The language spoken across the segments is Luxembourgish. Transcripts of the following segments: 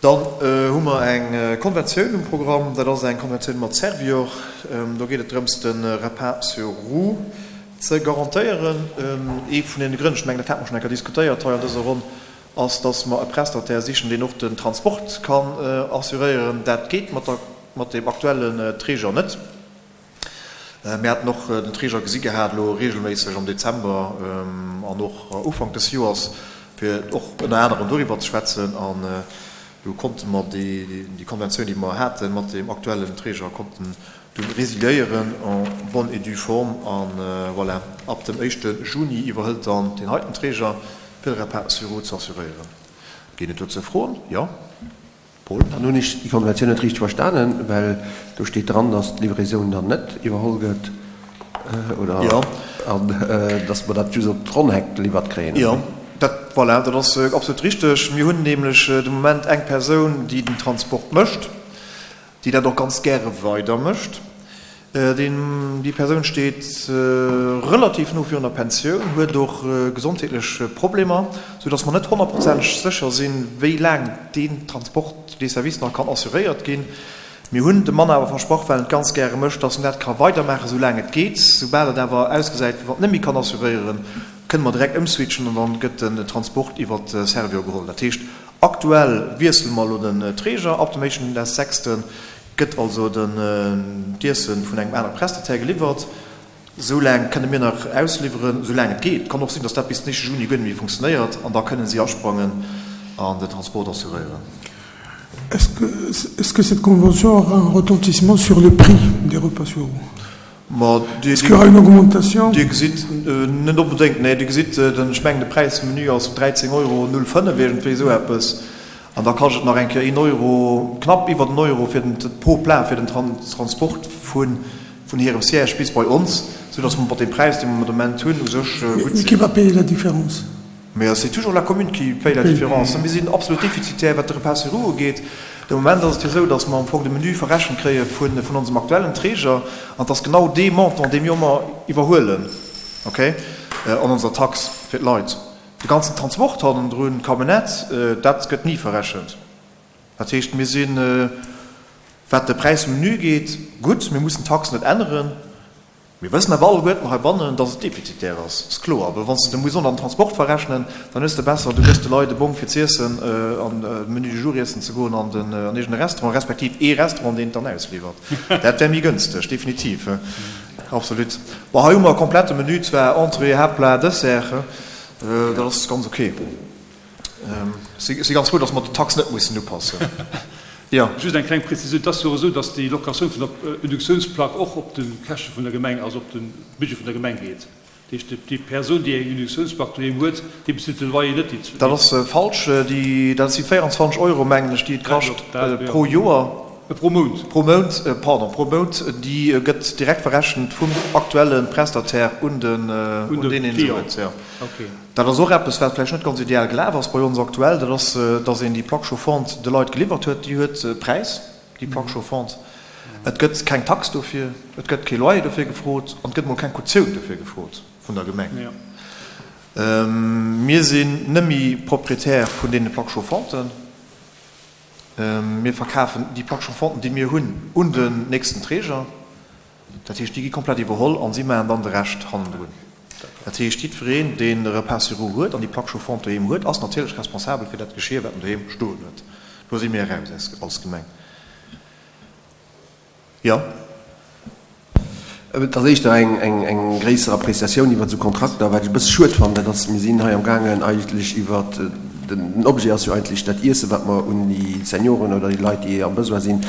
Dann hu mer eng Konventioun um Programm. Dat ass eng Konventioun mat Servior. Do geet et drëms, de Repas sur roues ze garantéieren. Ee vun deene Grënn, ech mengen, dat hate mer schonn eng Kéier diskutéiert hei an dëser Ronn, ass, dass mer e Prestataire sichen, deen och den Transport kann assuréieren. Dat geet mat der, mat deem aktuellen Träger net. Mir haten och den Träger gesi gehat elo regelméisseg am Dezember an och Ufank des Joers, fir och ënner anerem doriwwer ze schwätzen. An do konnte mer déi Konventioun, déi mer hate mat deem aktuellen Träger, konnten dunn résiliéieren en bonne et due forme. A voilà, ab dem éischte Juni iwwerhëlt dann deen heiten Träger, fir de Repas sur roues ze assuréieren. Ginn et dozou Froen? Jo. Paul. Dann hunn ech déi Konventioun net richteg verstanen, well do steet dran, dass d'Livraison dann net iwwerholl gëtt, oder? Jo. An dass mer dat just op d'Ronn-Heck geliwwert kréien, oder? Jo, dat, voilà, dat ass absolut richteg. Mir hunn nämlech de Moment eng Persoun, déi den Transport mécht, déi dat och ganz gäre weider mécht. Déi Persoun steet relativ no virun der Pensioun, huet och gesondheetlech Problemer, sou datt mer net honnertprozenteg sécher sinn, wéi laang deen Transport, dee Service nach kann assuréiert ginn. Mir hunn dem Mann awer versprach, well en et ganz gäre mécht, datt en dat ka weidermaachen, sou laang et geet. Soubal et awer ausgesäit, wéi wann et net méi kann assuréieren, kënne mer direkt ëmswitchen an dann gëtt den Transport iwwert Servior geholl. Dat heescht, aktuell wiessele mer elo den Träger, ab dem éischten des sechsten Gëtt also den d'Iesse vun engem anere Prestataire geliwwert. Esou laang kënne mir nach ausliwweren, esou laang et geet. Kann och sinn, datt dat bis den éischte Juni guer net méi funktionéiert an da kënne si asprangen an den Transport assuréieren. Est-ce que, est-ce que cette convention aura un retentissement sur le prix des repas sur roues? Ma Dir, Est-ce qu'il y aura une augmentation? Dir gesitt, net onbedéngt, nee, Dir gesitt, den, ech mengen de Präis vum Menü ass 13 Euro 05, iergendwéi esou eppes. An da kascht et nach eng Kéier een Euro, knapp iwwert en Euro fir den, pro Plat fir den Transport vun hirem Siège bis bei ons, soudass mer mat deem Präis, dee mer de Moment hunn, u sech gutt Mais sinn. qui va payer la différence? Mais c'est toujours la commune qui paye la différence. Mir sinn absolut defizitär, wat de Repas sur roues ugeet. De Moment ass et jo esou, dass mer am Fong de Menu verrechent kréie vun onsem aktuellen Träger, an et ass genau dee Montant, dee mir ëmmer iwwerhuelen, okay, an onser Tax fir d'Leit. De ganzen Transport hannendrun, d'Camionnette, dat gëtt ni verrechent. Dat heescht, mir sinn, wat de Präis vum Menu ugeet, gutt. Mir mussen d'Tax net änneren. Mir wëssen awer alleguerten heibannen, dass et defizitär ass, ass kloer. Well wann s de muss och nach den Transport verrechnen, dann hues de besser, du gëss de Leit e Bong fir z'iessen an de Menu du jour iessen ze goen an den an iergend e Restaurant, respektiv ee Restaurant, deen et dann ausliwwert. Dat wär méi gënsteg, definitiv. Absolut. Bon, hei hu mer e komplette Menü zwar, Entrée, Haaptplat, Dessert, dat ass ganz ok. Ech si ganz frou, datt mer d'Tax net mussen upassen. Jo. Just eng kleng Prezisioun, Et ass jo och esou, datt déi Locatioun vun der Induktiounsplack och op de Käschte vun der Gemeng, also op de Budget vun der Gemeng geet. Dat heescht, déi Persoun, déi eng Induktiounsplack doheem huet, déi bezilt de Loyer net. Déi. Dat ass falsch. Déi, dat si 24 Euro, mengen ech, déi et kascht pro Joer. Pro Mount. Pro Mount, pardon, pro Mount. Déi gëtt direkt verrechent vum aktuelle Prestataire un den, un deen een se huet. Jo. Dat ass och eppes, wat vläicht net ganz ideal gelaf ass bei ons aktuell. Dat ass, dass een déi Plaque chauffante de Leit geliwwert huet. Déi huet e Präis, déi Plaque chauffante. Et gëtt keng Tax dofir, et gëtt kee Loyer dofir gefrot an et gëtt mol keng Kautioun dofir gefrot vun der Gemeng. Mir sinn nëmmi Propriétaire vun deene Plaques chauffanten. Mir verkafen déi Plaques chauffanten, déi mir hunn, un den nächsten Träger. Dat heescht, déi gi komplett iwwerholl an si maachen dann de Rescht hannendrun. Dat heescht, jiddwereen, deen e Repas sur roues huet an déi Plaque chauffante doheem huet, ass natierlech responsabel fir dat Geschir, wat en doheem stoen huet. Do si mir eraus als Gemeng. Jo. Et ass éischter eng gréisser Appréciatioun iwwert esou Kontrakter. Wat ech e bësse schued fannen, dat ass, mir sinn hei amgaangen eigentlech iwwert, den Objet ass jo eigentlech dat Iessen, wat mer un déi Senioren oder déi Leit, déi am Besoin sinn,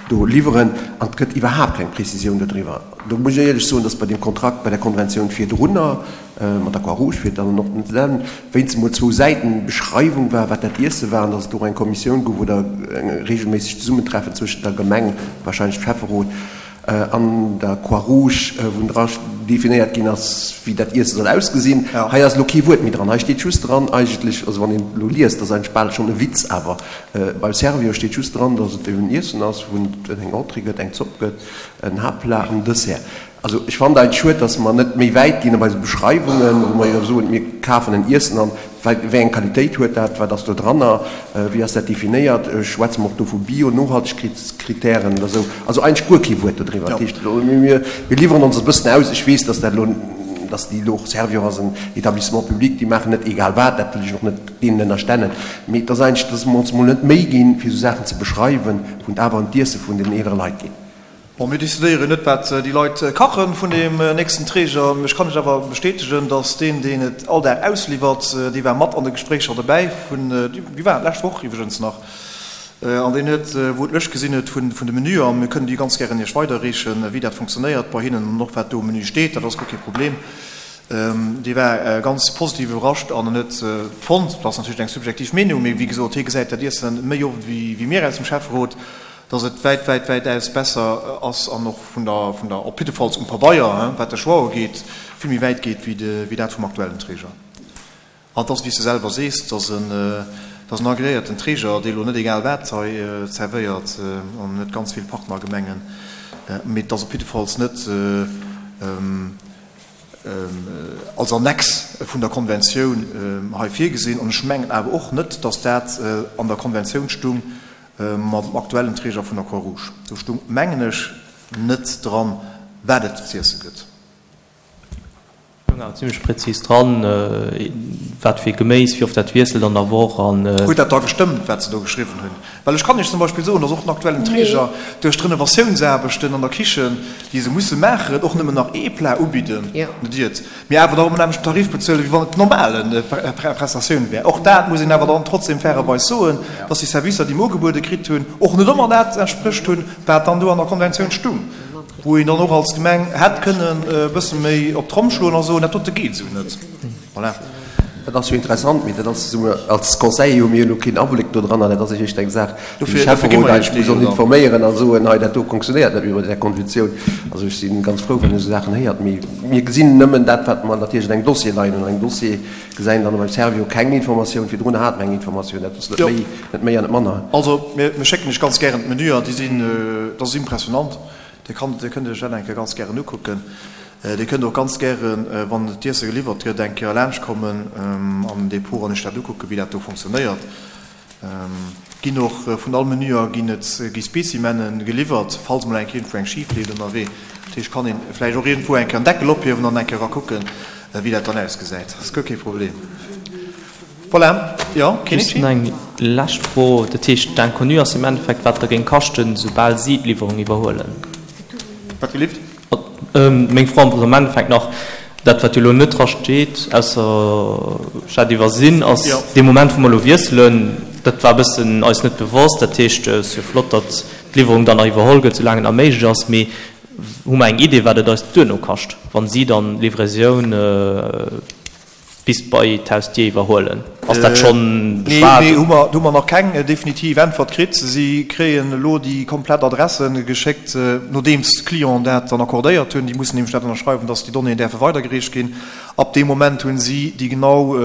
do liwweren, an et gëtt iwwerhaapt keng Précisioun dodriwwer. Do muss ech éierlech soen, dass bei deem Kontrakt, bei der Konventioun virdrunner mat der Croix-Rouge, fir et dann och net ze nennen, wéinst emol zwou Säiten Beschreiwung war, wat dat Iesse war, an dass et do och eng Kommissioun gouf oder eng regelméisseg Zesummentreffen zwëschent der Gemeng, wahrscheinlech dem Schäfferot, an der Croix-Rouge, wou dra definéiert ginn ass, wéi dat Iesse soll ausgesinn. Hei ass elo kee Wuert méi dran. Hei steet just dran eigentlech, also wann een elo liest, dat ass eigentlech bal schonn e Witz, awer beim Servior steet just dran, dass et eben Iessen ass, wou et eng Entrée gëtt, eng Zopp gëtt, en Haaptplat, en Dessert. Also ech fannen eigentlech schued, dass mer net méi wäit ginn a bei esou Beschreiwungen, wou mer jo soen, mir. kafen en Iessen an, wéi eng Qualitéit huet dat, wat ass do dranner, wéi ass dat definéiert, schwätze mer och do vu Bio, Nohaltegkeetskritären oder esou, also eigentlech guer kee Wuert dodriwwer. Dat heescht, mir liwweren ons e bëssen aus. Ech weess, dass dat elo, dass déi elo och, Servior ass en Établissement public, déi maachen net egal wat, dat wëll ech och net deenen ënnerstellen, mee et ass eigentlech, dass mer ons emol net d'Méi ginn, fir esou Saachen ze beschreiwen, wou et awer ëm d'Iesse vun den eelere Leit geet. Bon, mir decidéieren net, wat déi Leit kachen vun deem nächsten Träger. Ech kann lech awer bestätegen, dass deen, deen et all Dag ausliwwert, dee war mat an de Gespréicher dobäi vun, déi waren d'lescht Woch iwwregens nach, an deen huet, wou en d'Lëscht gesinn huet vun de Menüer, mir kënnen déi ganz gären Iech weiderreechen, wéi dat funktionéiert bei hinnen an och wat do um Menü steet, dat ass guer kee Problem. Dee war ganz positiv iwwerrascht an en huet fonnt, dat ass natierlech eng subjektiv Meenung, mee wéi gesot, hie gesäit dat Iessen méi oft wéi mir aus dem Schäfferot, dass et wäit, wäit, wäitaus besser ass an och vun der, vun der, op jiddefalls um Pabeier, wat de Choix ugeet, vill méi wäit geet wéi dat vum aktuellen Träger. An et ass, wéi s de selwer sees, et ass en, et ass en agreéierten Träger, dee elo net egal wat hei zerwéiert an net ganz vill Partnergemengen, mee et ass op jiddefalls net als Annex vun der Konventioun hei virgesinn. An ech mengen awer och net, dass dat an der Konventioun stung, Mat dem aktuellen Träger vun der Croix-Rouge. Do stung, mengen ech, net dran, wat et z'iesse gëtt. Stoung awer zimlech präzis dran, wat fir Geméis, wéi oft dat wiesselt an der Woch an. Huet dat da gestëmmt, wat se do geschriwwen hunn? Well ech kann Iech zum Beispill soen, dass och den aktuellen Träger duerch d'Renovatiounsaarbechten an der Kichen, déi se musse maachen, och nëmmen nach ee Plat ubidden, net iert. Mee awer da um nämmlechten Tarif bezuelen, wéi wann et normale Prestatioun wär. Och dat muss een awer dann trotzdem fairerweis soen, dass déi Servicer, déi mer ugebuede kritt hunn, och net ëmmer dat entsprécht hunn, wat dann do an der Konventioun stung, wou een dann och als Gemeng hätt kënnen e bësse méi op d'Tromm schloen a soen, dat dote geet esou net. Voilà. Dat ass jo interessant, mee dat ass esou, als Conseiller hu mir jo elo keen Abléck do dran an dat ass éischter eng Saach, déi de Schäfferot eigentlech muss ons informéieren a soen, hei dat do fonctionnéiert net méi mat där Konventioun. Also ech si ganz frou, wann een esou Saachen héiert, mee mir gesinn nëmmen dat, wat mer natierlech an engem Dossier leien hunn. An engem Dossier gesäit een dann beim Servior keng Informatioun, virdrun hat mer eng Informatioun, dat ass net méi, net méi an net manner. Also mir schécken Iech ganz gären d'Menüer, déi sinn, dat ass impressionant. Dir kann, Dir kënnt Iech dat eng Kéier ganz gären ukucken. Dir kënnt och ganz gären, wann d'Iesse geliwwert gëtt, eng Kéier laanschtkommen an den Depot an Iech dat ukucken, wéi dat do funktionéiert. Ginn och vun all Menüer ginn et, gi Spécimennen geliwwert, falls mol eng Kéier iergendwou eng schif leeft ënnerwee. Dat heescht, kann een vläicht och iergendwou eng Kéier en Deckel ophiewen an eng Kéier erakucken, wéi dat dann ausgesäit. Dat ass guer kee Problem. Voilà, jo, Just nach eng lescht Fro, Dat heescht, d'Inconnu ass im Endeffekt, wat der géing kaschten, soubal si d'Liwwerung iwwerhuelen? Wat gelift? Meng Fro ass am Endeffekt nach, dat wat jo elo net dra steet, ausser ech hat iwwersinn, ass dee Moment wou mer elo wiesselen, dat war e bëssen eis net bewosst, dat heescht, et ass jo flott, datt d'Liwwerung dann nach iwwerholl gëtt, soulaang et nach méiglech ass, mee hu mer eng Idee, wat et eis duerno kascht, wann si dann d'Livraison bis bei d'Hausdier iwwerhuelen? Ass dat schonn beschwat? Nee, do hu mer nach keng definitiv Äntwert kritt. Si kréien elo déi komplett Adresse geschéckt, nodeems d'Clienten dat dann accordéiert hunn. Déi mussen nämlech dat ënnerschreiwen, dass déi Donnéeën däerfe weidergereecht ginn. Ab deem Moment hunn si déi genau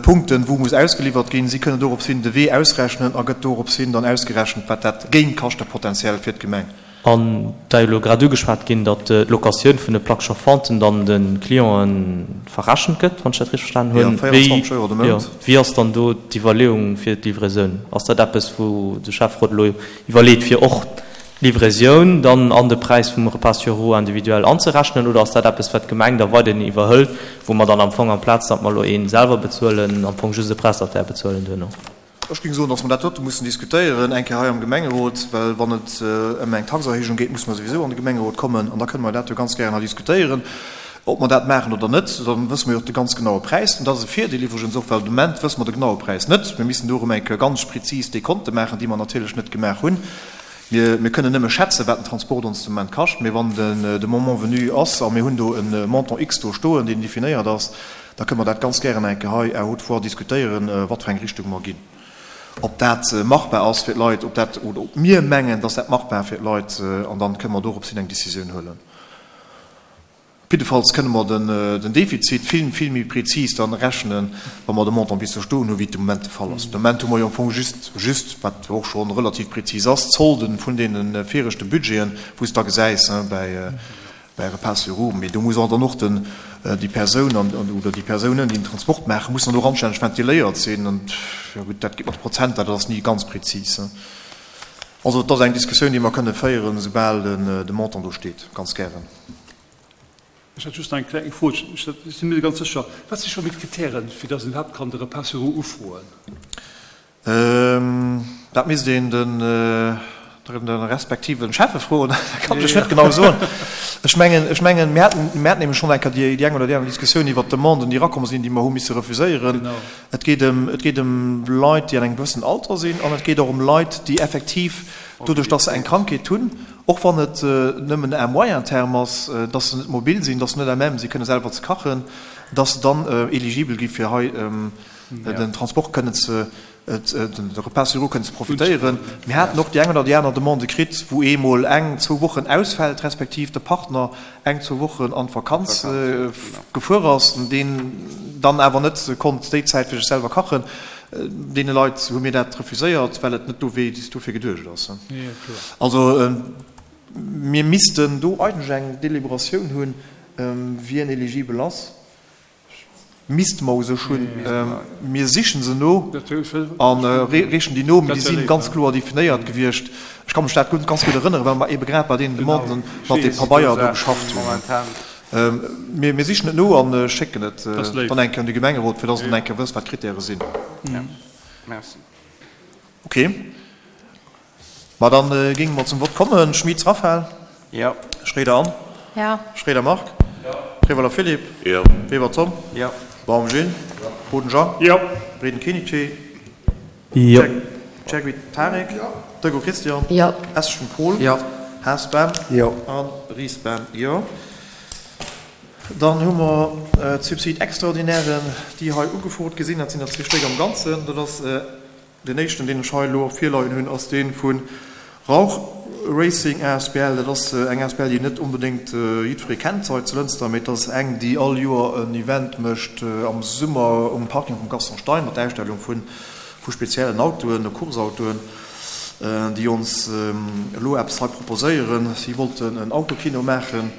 Punkten, wou muss ausgeliwwert ginn. Si kënnen dorops hin de Wee ausrechnen a gëtt dorops hin dann ausgerechent, wat dat géing kaschte potenziell fir d'Gemeng. An da jo elo grad ugeschwat ginn, datt d'Locatioun vun de Plaques chauffanten dann de Clienten verrechent gëtt, wann ech dat richteg verstanen hunn. Jo, 24 Euro de Mount. Wéi ass dann do d'Iwwerleeung fir d'Livraisoun? Ass dat eppes, wou de Schäfferot elo iwwerleet, fir och d'Livraisoun dann an de Präis vum Repas sur roues individuel anzerechnen, oder ass dat eppes, wat d'Gemeng da weiderhin iwwerhëlt, wou mer dann am Fong, amplaz datt mer elo ee selwer bezuelen, am Fong just e Prestataire bezuelen duerno? Ech géing soen, dass mer dat dote mussen diskutéieren, eng Kéier hei am Gemengerot, well wann et ëm eng Taxerhéijung geet, musse mer souwisou an de Gemengerot kommen an da kënne mer dat jo ganz gären hei diskutéieren, ob mer dat maachen oder net. Da wësse mer jo och de ganz genaue Präis. An dat ass e Virdeel iwwregens och, well de Moment wësse mer de genaue Präis net. Mir missten do erëm eng Kéier ganz prezis Dekonte maachen, déi mer natierlech net gemaach hunn. Mir kënnen nëmme schätzen, wat den Transport ons de Moment kascht, mee wann de Moment venu ass a mir hunn do e Montant X do stoen, deen definéiert ass, Da kënne mer dat ganz gären eng Kéier hei à haute voix diskutéieren, wat fir eng Richtung mer ginn, ob dat machbar ass fir d'Leit, ob dat, oder ob mir mengen, dass dat machbar fir d'Leit, an dann kënne mer dorops hin eng Décisioun huelen. Op jiddefalls kënne mer den Defizit vill, vill méi prezis dann rechnen, wa mer de Montant bis do stoen hunn, wéi et de Moment de Fall ass. De Moment hu mer jo am Fong just, just, wat och scho relativ prezis ass, d'Solde vun deene viregte Budgeten, wou s de da gesäis, bäi, Bäi Repas sur roues, mee do muss och dann och den. Déi Persoun an, oder déi Persounen, déi den Transport maachen, mussen dann och anstänneg ventiléiert sinn. An, jo gutt, dat geet mat de Prozenter, dat ass ni ganz prezis. Also et ass eng Diskussioun, déi mer kënne féieren, esoubal de Montant do steet, ganz gären. Ech hätt just nach eng kleng Fro, ech sinn mir net ganz sécher, Wat si scho méi d'Kritären, fir datt een iwwerhaapt kann de Repas sur roues ufroen? Dat misst een de respektive Schäffe froen, dat kann ech lech net genau soen. Ech mengen, ech mengen, mir haten, mir haten nämlech schonn eng Kéier déi eng oder déi aner Diskussioun iwwert d'Demanden, déi erakomm sinn, déi mer hu misse refuséieren. Et geet ëm, et geet ëm Leit, déi an engem gewëssenen Alter sinn an et geet och ëm Leit, déi effektiv doduerch, dass se eng Krankheet hunn, och wann et nëmmen à moyen terme ass, dass se net mobil sinn, dass se net à même si kënne selwer ze kachen, dass se dann eligibel gi fir hei den Transport kënnen ze, de Repas sur roues kënnen ze profitéieren. Mir haten och déi eng oder déi aner Demande kritt, wou ee mol eng, zwou Wochen ausfält, respektiv de Partner eng, zwou Wochen an d'Vakanz gefuer ass, deen dann awer net konnt déi Zäit fir sech selwer kachen. Deene Leit hu mir dat refuséiert, well et net dofir geduecht ass. Also mir missten do eigentlech eng Deliberatioun hunn, wien eligibel ass. Misste mer u sech hunn. Mir sichen se no a reechen déi no, mee déi si ganz kloer definéiert gewiescht. Ech ka mech dat ganz gutt erënneren, well mer eebe grad bei deenen Demanden mat deem Pabeier do geschafft hunn. Mir sichen et no a schécken et dann eng Kéier un de Gemengerot, fir dass en eng Kéier wësst, wat d'Krittäre sinn. Okay. Ma dann géinge mer zum Vott kommen. Schmitz Raphaël. Jo. Schroeder Anne. Jo. Schroeder Marc. Jo. Prevoller Philippe. Jo. Weber Tom. Jo. Baum Gilles. Jo. Boden Jean. Jo. Breden Kenichi. Jo. Chergui Tarik. Jo. Dego Christian. Jo. Eschen Paul. Jo. Haas Ben. Jo. A Ries Ben. Jo. Dann hu mer d'Subside extraordinairen, déi hei ugefrot gi sinn. Dat sinn der zwee Stéck am Ganzen. Dat ass Deen éischten, deen ech hei elo virleien hunn, ass dee vu Rauch Racing asbl. Dat ass eng asbl, déi net onbedéngt jiddweree kennt hei zu Lënster, mee et ass eng, déi all Joer en Event mécht am Summer um Parking vum Gaston Stein mat der Ausstellung vu speziellen Autoen, Course-Autoen, déi ons elo eppes hei proposéieren. Si wollten en Autokino maachen.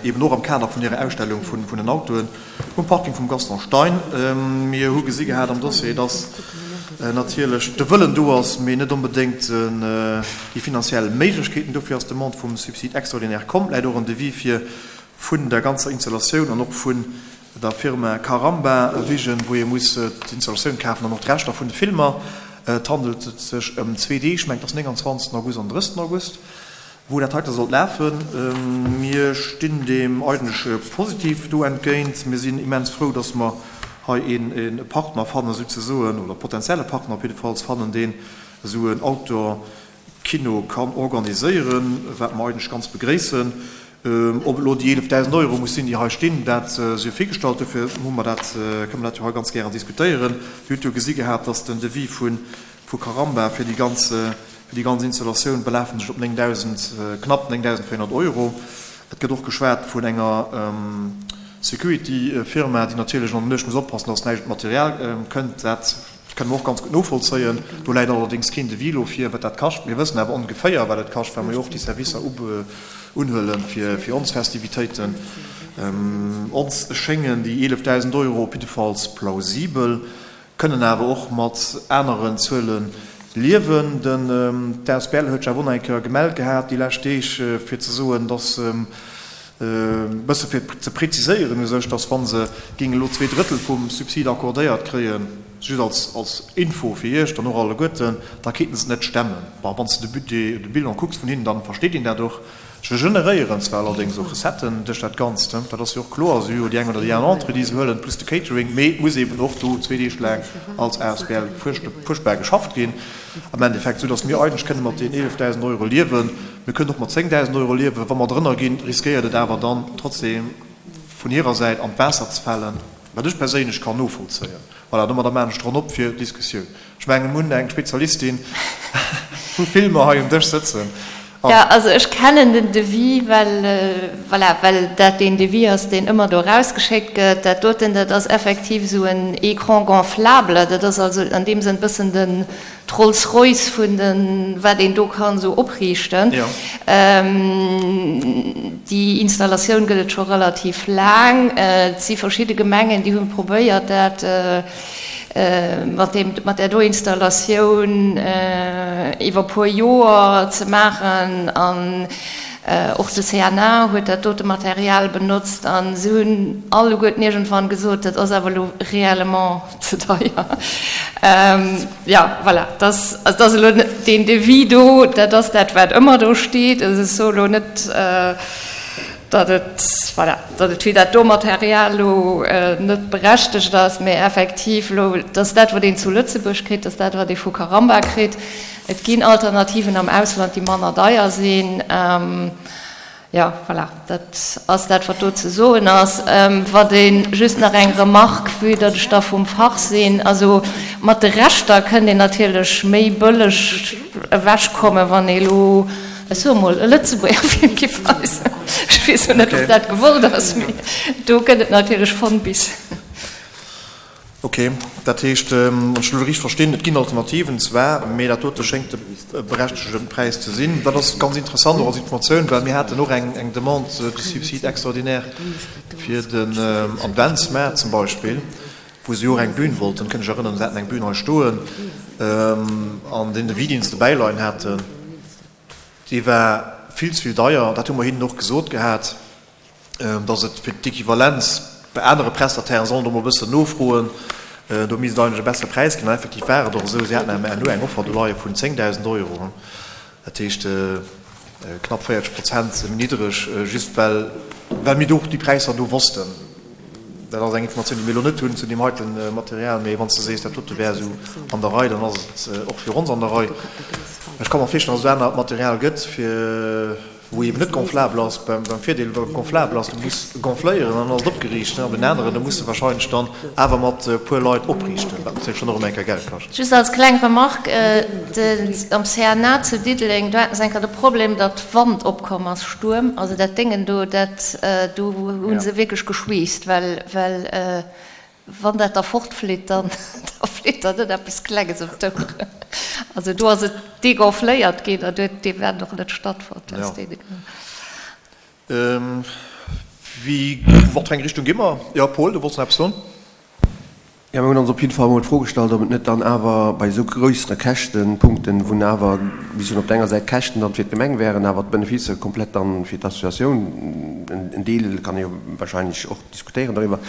eben och am Kader vun hirer Ausstellung vun den Autoen um Parking vum Gaston Stein. Mir hu gesi gehat am Dossier, dass natierlech de Wëllen do ass, mee net onbedéngt déi finanziell Méiglechkeeten. Dofir ass d'Demande vum Subside extraordinaire komm. Läit och en Devis vir vun der ganzer Installatioun an och vun der Firma Caramba Vision, wou ee muss d'Installatioun kafen an och d'Rechter vun de Filmer. Et handelt sech ëm zwee Deeg, ech mengen et ass 29 August an 30 August. Wou dat heite sollt lafen. Mir stinn deem eigentlech positiv do entgéint. Mir sinn immens frou, dass mer hei ee Partner fannen, souzesoen, oder potenzielle Partner op jiddefalls fannen, deen esou en Outdoor-Kino kann organiséieren, wat mer eigentlech ganz begréissen. Ob et elo déi 11.000 Euro muss sinn, déi hei stinn, dat sief virgestallt. Dofir hu mer dat, kënne mer dat jo hei ganz gären diskutéieren. Dir hutt jo gesi gehat, dass den Devis vu Caramba fir déi ganz Fir déi ganz Installatioun belafen sech op 9.000, knapp 9.400 Euro. Et gëtt och geschwat vun enger Security-Firma, déi natierlech an der Nuecht muss oppassen, dass näischt un d'Material kënnt. Dat kënne mer och ganz gutt novollzéien. Do läit allerdéngs keen Devis elo vir, wat dat kascht. Mir wëssen awer ongeféier, wat et kascht, well mer jo och déi Servicer unhuele fir ons Festivitéiten. Ons schéngen déi 11.000 Euro op jiddefalls plausibel. Kënnen awer och mat aneren Zuele liewen. Den d'Asbl huet sech awer och nach eng Kéier gemellt gehat déi lescht Deeg, fir ze soen, datt e bësse fir ze preziséieren u sech, datt wa se géingen elo 2/3 vum Subsid accordéiert kréien, just als als Info fir Iech dann och alleguerten, da kéinten se et net stemmen. Bon, wann s de de Budget, de Bilan kucks vun hinnen, da versteet een dat och. Se generéieren zwar allerdéngs och Recetten duerch dat Ganzt, dat ass jo och kloer, se hu jo déi eng oder déi aner Entrée, déi se huelen, plus de Catering, mee et muss eeben och do zwee Deeg laang als asbl fuerchtbar geschafft ginn am Endeffekt, soudass mir eigentlech kënne mat deenen 11.000 Euro liewen. Mir kënnen och mat 10.000 Euro liewen. Wa mer drënner ginn, riskéiert et awer dann trotzdem vun hirer Säit an d'Waasser ze falen, wat ech perséinlech kann novollzéien. Voilà, domadder maachen ech d'Ronn op fir d'Diskussioun. Ech mengen, mir hunn eng Spezialistin vu Filmer hei um Dësch sëtzen. Jo, also ech kennen den Devis, well, voilà, well dat deen Devis ass, deen ëmmer do erausgeschéckt gëtt. Dat doten, dat ass effektiv esou en Écran gonflable. Dat ass also an deem Sënn e bëssen den d'Rolls-Royce vun de wat een do kann esou opriichten. Déi Installatioun gëtt et scho relativ laang. Et si verschidde Gemengen, déi hu probéiert, dat mat deem, mat där do Installatioun iwwer e puer Joer ze maachen. An och de CNA huet dat dote Material benotzt. A se hunn alleguerten iergendwann gesot, dat ass awer elo réellement ze deier. Jo, voilà, dat ass elo deen Devis do, dat ass dat, wat ëmmer do steet. Also ech soe elo net, datt et, voilà, datt et fir dat do Material elo net berechtegt ass, mä effektiv elo, dass dat, wat een zu Lëtzebuerg kritt, dass dat, wat ee vu Caramba kritt. Et ginn Alternativen am Ausland, déi manner deier sinn. Jo, voilà, dat ass dat, wat do ze soen ass. Wat ee just nach eng Remarque, vue datt ech da vum Fach sinn, also mat de Reschter kënnt een natierlech méi bëlleg ewechkommen, wann ee elo, ech soe mol, e Lëtzebuerger Film giff weisen. Ech weess elo net, ob dat gewollt ass, mee do gëtt et natierlech von bis. Ok, dat heescht, wann ech elo richteg verstinn, et ginn Alternativen zwar, mee dat dote schéngt de berechtegte Präis ze sinn. Dat ass ganz interessant och als Informatioun, well mir haten och eng Demande de subside extraordinaire fir den Adventsmaart zum Beispill, wou se jo och eng Bühn wollten, kënnt Iech erënneren, se haten eng Bühn hei stoen, an deen Devis, deen se dobäi leien haten, dee war vill ze vill deier. Dat hu mer hinnen och gesot gehat. dass et fir d'Equivalenz bei anere Prestatairen, sollen do mol e bëssen nofroen, do misst et eigentlech e bessere Präis ginn. An effektiv war et och esou, si haten herno eng Offer do leie vun 10.000 Euro, dat heescht knapp 40 Prozent méi niddreg, just well well mir do och déi Präisser do wossten. Dat ass eng Informatioun, déi mir elo net hunn zu deem heite Material, mee wann s de sees, dat dote wär esou an der Rei, dann ass et och fir ons an der Rei. Ech ka mer virstellen, dass et anert Material gëtt fir. Wou eben net gonflabel ass, beim Virdeel beim gonflabel ass, du muss gonfléieren an dann ass et opgeriicht, an den aneren, do muss de wahrscheinlech dann awer mat e puer Leit opriichten, wat natierlech dann och ëm eng Kéier Geld kascht. Just als kleng Remarque, Am CNA zu Diddeleng, do haten se eng Kéier de Problem, datt Wand opkomm ass, Stuerm, also dat Déngen do, dat do hu se wierklech geschweesst, well well Wann dat da fortflitt, dann da flitt der net eppes Klenges ëm d'Oueren. Also do ass et degonfléiert ginn an huet d'Event och net stattfonnt aus deene Grënn. Wéi, wat fir eng Richtung gi mer? Jo, Paul, du wollts nach eppes soen? Jo, mir hunn ons op jidde Fall emol d'Fro gestallt, ob et net dann awer bei esou grössere Käschtenpunkten, wou awer, wéi soen, op der enger Säit d'Käschten dann fir d'Gemeng wären, awer d'Beneficer komplett dann fir d'Associatioun, en Deel kann ee jo wahrscheinlech och diskutéieren doriwwer,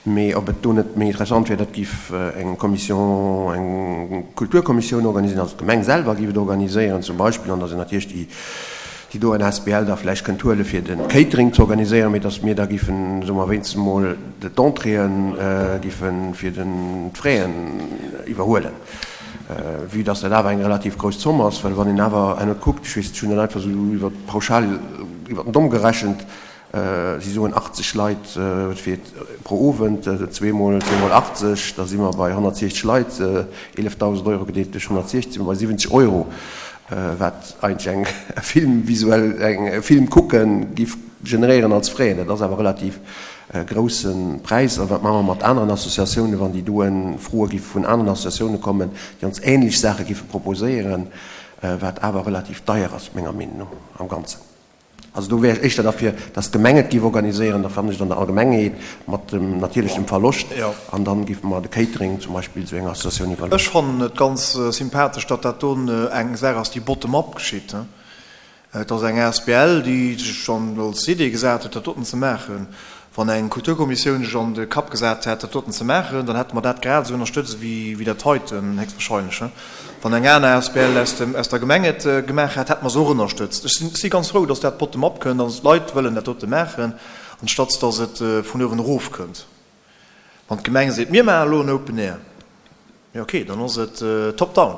mee ob et do net méi interessant wär, dat giff eng Commission, eng Kulturkommissioun organiséieren, also d'Gemeng selwer giff et organiséieren zum Beispill, an datt een natierlech déi, déi do en asbl da vläicht kënnt huele fir de Catering ze organiséieren, mee datt mir da giffen, soe mer, wéinstens emol d'Entréeën giffe fir den, d'Fraisen iwwerhuelen, vue datt dat awer eng relativ grouss Zomm ass, well wann een awer herno kuckt, ech weess, ech hunn dat einfach esou iwwer pauschal iwwer den Domm gerechent, Si soen 80 Leit fir pro Owend, zweemol 80, da si mer bei 160 Leit, 11.000 Euro gedeelt duerch 160, si mer bei 70 Euro, wat eigentlech eng Film visuell, eng Film kucken giff generéieren als Frais. Dat ass awer relativ grousse Präis. A wat maache mer mat aneren Associatiounen, wann déi doen Froe giff vun aneren Associatioune kommen, déi ons ähnlech Saache giffe proposéieren, wat awer relativ deier ass, menger Meenung no am Ganzen. Also do wär ech éischter derfir, dass d'Gemeng et géif organiséieren, da fannen ech et an der Allgemengheet mat dem natierlech dem Verloscht, an dann géife mer de Catering zum Beispill esou enger Associatioun iwwerloossen. Ech fannen et ganz sympathesch, datt dat do eng Saach ass, déi bottom-up geschitt. Et ass eng asbl, déi sech als Idee gesat huet, dat doten ze maachen. Wann eng Kulturkommissioun sech an de Kapp gesat hätt, dat doten ze maachen, dann hätte mer dat grad esou ënnerstëtzt wéi dat heiten, héchstwahrscheinlech. Wann eng aner asbl aus dem, aus der Gemeng et gemaach hätt, hätte mer se och ënnerstëtzt. Ech sinn, si ganz frou, dass dat bottom-up kënnt an dass d'Leit wëllen dat dote maachen, anstatt dass et vun uewen erof kënnt. Wann d'Gemeng seet, mir maachen elo en Open Air, jo okay, dann ass et top-down.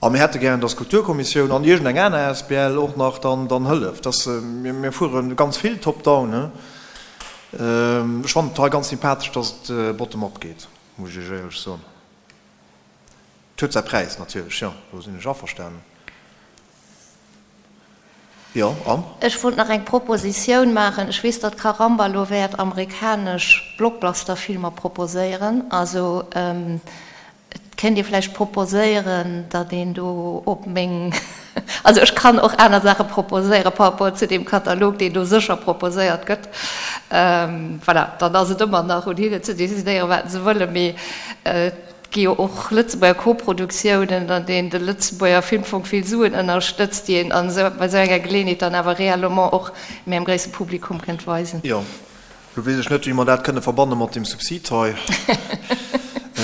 A mir hätte gären, dass d'Kulturkommissioun an iergendeng aner asbl och nach dann, dann hëlleft. Dass, mir, mir fuere ganz vill top-down, he. Ech fannen et hei ganz sympathesch, dass et bottom-up geet, muss ech Iech éierlech soen. Et huet säi Präis natierlech, jo, do sinn ech averstanen. Jo, an? Ech wollt nach eng Propositioun maachen. Ech weess, datt Caramba elo wäert amerikanesch Blockbuster-Filmer proposéieren. Also, et kéint ee vläicht proposéieren, datt een do op meng, also ech kann och aner Saache proposéiere par rapport zu deem Katalog, deen do sécher proposéiert gëtt. Voilà, dann ass et ëmmer nach un hinnen ze decidéieren, wat se wëllen. Mee et gi jo och Lëtzebuerger Koproduktiounen, an deenen de Lëtzebuerger Filmfong vill Suen ënnerstëtzt, déi een an esou, bei esou enger Geleeënheet dann awer réellement och méi engem gréisse Publikum kënnt weisen. Jo, lo weess ech net, wéi mer dat kënne verbanne mat deem Subsid hei.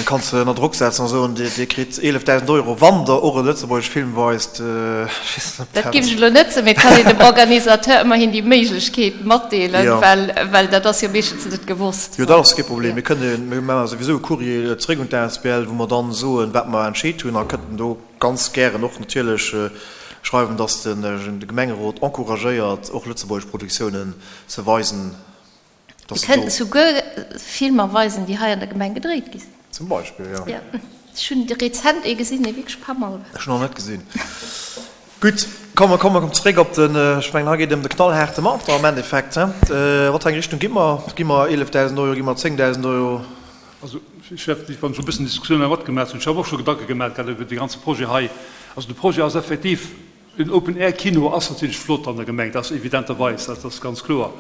Kanns de ënner Drock setzen a soen, Dir kritt 11.000 Euro, wann Der och e lëtzebuergesch Film weist. Ech weess net, ob Dat dat. géif ech elo net soen, mee et kann een dem Organisateur ëmmerhin déi Méiglechkeet matdeelen, well, well dat ass jo meeschtens net gewosst. Jo, dat ass kee Problem. Mir kënnen, mir maache souwisou e Courrier zeréck un d'ASBL, wou mer dann soen, wat mer entscheet hunn, a kënnten do ganz gären och natierlech schreiwen, dass de Gemengerot encouragéiert, och lëtzebuergesch Produktiounen ze weisen. Mir kënnten souguer Filmer weisen, déi hei an der Gemeng gedréit gi sinn. Zum Beispill, jo. Jo, ech hunn rezent ee gesinn, dee wierklech pas mal war. Ech hunn nach net gesinn. Gutt, komm, mer kommen zeréck op den, ech mengen, hei geet et ëm de knallhaarte Montant am Endeffekt, he? Wat fir eng Richtung gi mer? Gi mer 11.000 Euro, gi mer 10.000 Euro? Also, ech wäert, wann ech e bëssen Diskussioun hei matgemaach hunn, ech habe och scho Gedanke gemaach grad iwwert dee ganze Projet hei. Also de Projet ass effektiv, En Open-Air-Kino ass natierlech flott an der Gemeng, dat ass evidenterweis, dat ass ganz kloer.